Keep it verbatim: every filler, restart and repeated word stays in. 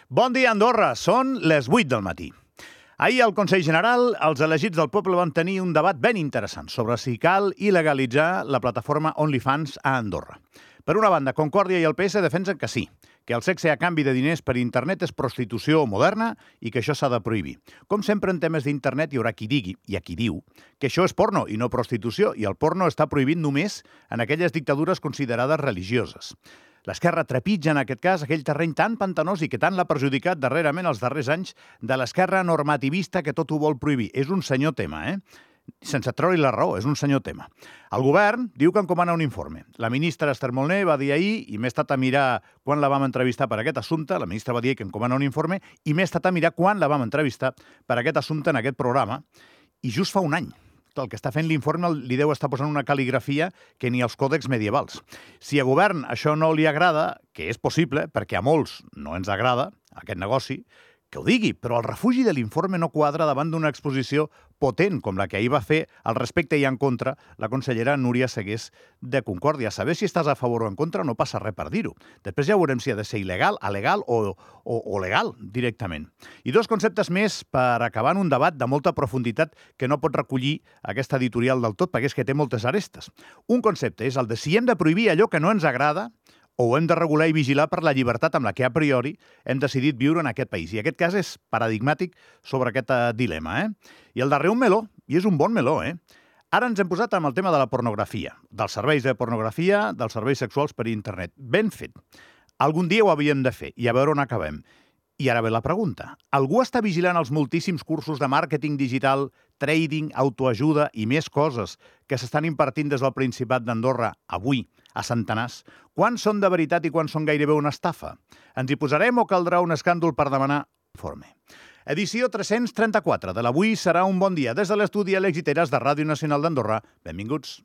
Bon dia, Andorra. Són les vuit del matí. Ahir al Consell General, els elegits del poble van tenir un debat ben interessant sobre si cal il·legalitzar la plataforma OnlyFans a Andorra. Per una banda, Concòrdia i el P S defensen que sí, que el sexe a canvi de diners per internet és prostitució moderna i que això s'ha de prohibir. Com sempre en temes d'internet hi haurà qui digui, i a qui diu, que això és porno i no prostitució, i el porno està prohibit només en aquelles dictadures considerades religioses. L'esquerra trepitja, en aquest cas, aquell terreny tan pantanós i que tant l'ha perjudicat darrerament els darrers anys de l'esquerra normativista que tot ho vol prohibir. És un senyor tema, eh? Sense treure-li la raó, és un senyor tema. El govern diu que encomana un informe. La ministra Esther Molné va dir ahir, i m'he estat a mirar quan la vam entrevistar per aquest assumpte, la ministra va dir que encomana un informe, i m'he estat a mirar quan la vam entrevistar per aquest assumpte en aquest programa, i just fa un any. El que està fent l'informe li deu estar posant una cal·ligrafia que ni als còdecs medievals. Si a govern això no li agrada, que és possible, perquè a molts no ens agrada aquest negoci, que ho digui, però el refugi de l'informe no quadra davant d'una exposició potent com la que ahir va fer al respecte i en contra la consellera Núria Segués de Concòrdia. Saber si estàs a favor o en contra no passa res per dir-ho. Després ja veurem si ha de ser il·legal, alegal o, o, o legal directament. I dos conceptes més per acabar en un debat de molta profunditat que no pot recollir aquesta editorial del tot, perquè és que té moltes arestes. Un concepte és el de si hem de prohibir allò que no ens agrada o hem de regular i vigilar per la llibertat amb la que a priori hem decidit viure en aquest país. I aquest cas és paradigmàtic sobre aquest dilema, eh? I el darrer un meló, i és un bon meló, eh? Ara ens hem posat amb el tema de la pornografia, dels serveis de pornografia, dels serveis sexuals per internet. Ben fet. Algun dia ho havíem de fer, i a veure on acabem. I ara ve la pregunta. Algú està vigilant els moltíssims cursos de màrqueting digital, trading, autoajuda i més coses que s'estan impartint des del Principat d'Andorra avui, a centenars? Quants són de veritat i quants són gairebé una estafa? Ens hi posarem o caldrà un escàndol per demanar informe? Edició tres-cents trenta-quatre de l'Avui serà un bon dia. Des de l'estudi a l'Exiteres de Ràdio Nacional d'Andorra. Benvinguts.